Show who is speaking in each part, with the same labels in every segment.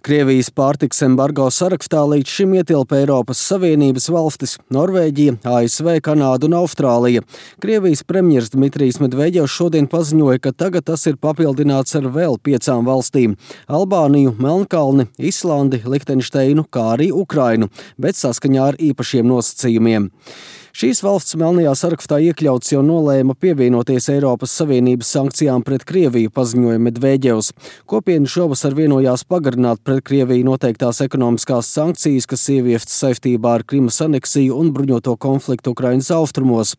Speaker 1: Krievijas pārtikas embargo sarakstā līdz šim ietilpa Eiropas Savienības valstis – Norvēģija, ASV, Kanāda un Austrālija. Krievijas premjers Dmitrijs Medvedjevs šodien paziņoja, ka tagad tas ir papildināts ar vēl 5 valstīm – Albāniju, Melnkalni, Islandi, Lihtenšteinu, kā arī Ukrainu, bet saskaņā ar īpašiem nosacījumiem. Šīs valsts melnajā sarakstā iekļauts jau nolēma pievienoties Eiropas Savienības sankcijām pret Krieviju, paziņoja Medvedjevs. Kopiena šovasar vienojās pagarināt pret Krieviju noteiktās ekonomiskās sankcijas, kas ieviestas saistībā ar Krimas aneksiju un bruņoto konfliktu Ukrainas austrumos.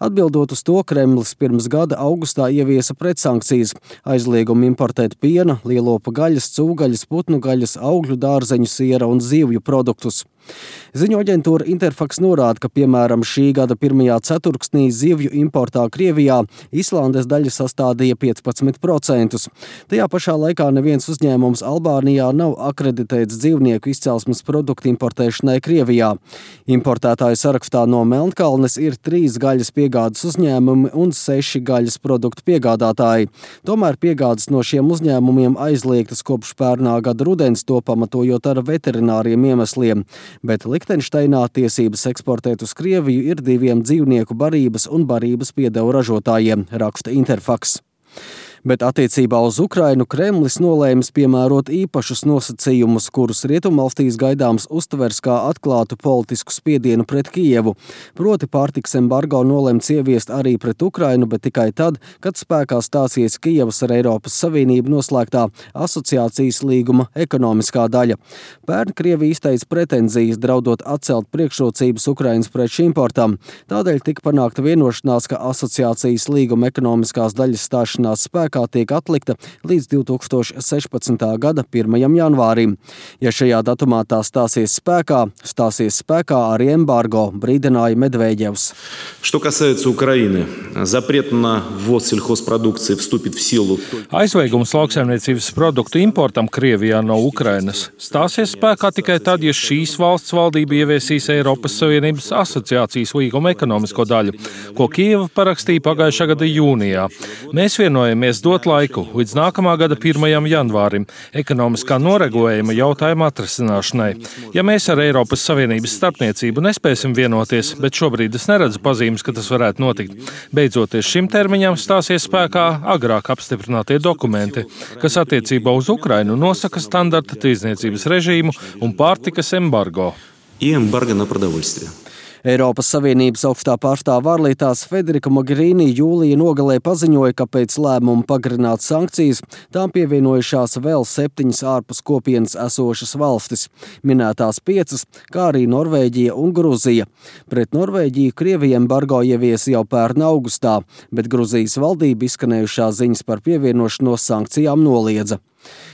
Speaker 1: Atbildot uz to, Kremlis pirms gada augustā ieviesa pretsankcijas, aizliegumu importēt piena, lielopu gaļas, cūgaļas, putnu gaļas, augļu, dārzeņu, siera un zivju produktus. Ziņu aģentūra Interfax norāda, ka, piemēram, šī gada pirmajā ceturksnī zivju importā Krievijā Islandes daļa sastādīja 15%. Tajā pašā laikā neviens uzņēmums Albānijā nav akreditēts dzīvnieku izcelsmes produktu importēšanai Krievijā. Importētāju sarakstā no Melnkalnes ir 3 gaļas piegādes uzņēmumi un 6 gaļas produktu piegādātāji. Tomēr piegādes no šiem uzņēmumiem aizliegtas kopš pērnā gada rudens, to pamatojot ar veterināriem iemesliem. Bet Lihtenšteinā tiesības eksportēt uz Krieviju ir 2 dzīvnieku barības un barības piedevu ražotājiem, raksta Interfax. Bet attiecībā uz Ukrainu Kremlis nolēmis piemērot īpašus nosacījumus, kurus rietumvalstīs gaidāms uztvers kā atklātu politisku spiedienu pret Kijevu. Proti pārtikas embargo nolemts ieviest arī pret Ukrainu, bet tikai tad, kad spēkā stāsies Kijevas ar Eiropas Savienību noslēgtā asociācijas līguma ekonomiskā daļa. Pērn Krievija izteica pretenzijas, draudot atcelt priekšrocības Ukrainas preču importam. Tādēļ tika panākta vienošanās, ka asociācijas līguma ekonomiskās daļas stāšanās spēkā tiek atlikta līdz 2016. gada 1. janvārim. Ja šajā datumā tā stāsies spēkā arī embargo, brīdināja Medvedjevs.
Speaker 2: Что касается Украины, запрет на ввоз сельхозпродукции вступит в силу.
Speaker 3: Aizliegums lauksaimniecības produktu importam Krievijā no Ukrainas stāsies spēkā tikai tad, ja šīs valsts valdība ieviesīs Eiropas Savienības asociācijas līguma ekonomisko daļu, ko Kijeva parakstīja pagājušā gada jūnijā. Mēs vienojamies dot laiku līdz nākamā gada 1. janvārim ekonomiskā noregulējuma jautājuma atrisināšanai. Ja mēs ar Eiropas Savienības starpniecību nespēsim vienoties, bet šobrīd es neredzu pazīmes, ka tas varētu notikt, beidzoties šim termiņam stāsies spēkā agrāk apstiprinātie dokumenti, kas attiecībā uz Ukrainu nosaka standarta tirdzniecības režīmu un pārtikas embargo.
Speaker 2: И эмбарго на продовольствие.
Speaker 1: Eiropas Savienības augstā pārstāve ārlietās Federica Mogherini jūlija nogalē paziņoja, ka pēc lēmuma pagarināt sankcijas tām pievienojušās vēl 7 ārpus kopienas esošas valstis, minētās 5, kā arī Norvēģija un Gruzija. Pret Norvēģiju Krievija embargo ieviesa jau pērn augustā, bet Gruzijas valdība izskanējušās ziņas par pievienošanos sankcijām noliedza.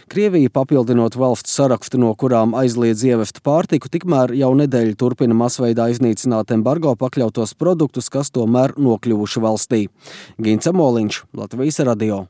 Speaker 1: Krievija, papildinot valstu sarakstu, no kurām aizliedz ievest pārtiku, tikmēr jau nedēļu turpina masveidā iznīcināt embargo pakļautos produktus, kas tomēr nokļuvuši valstī. Gints Amoliņš, Latvijas radio.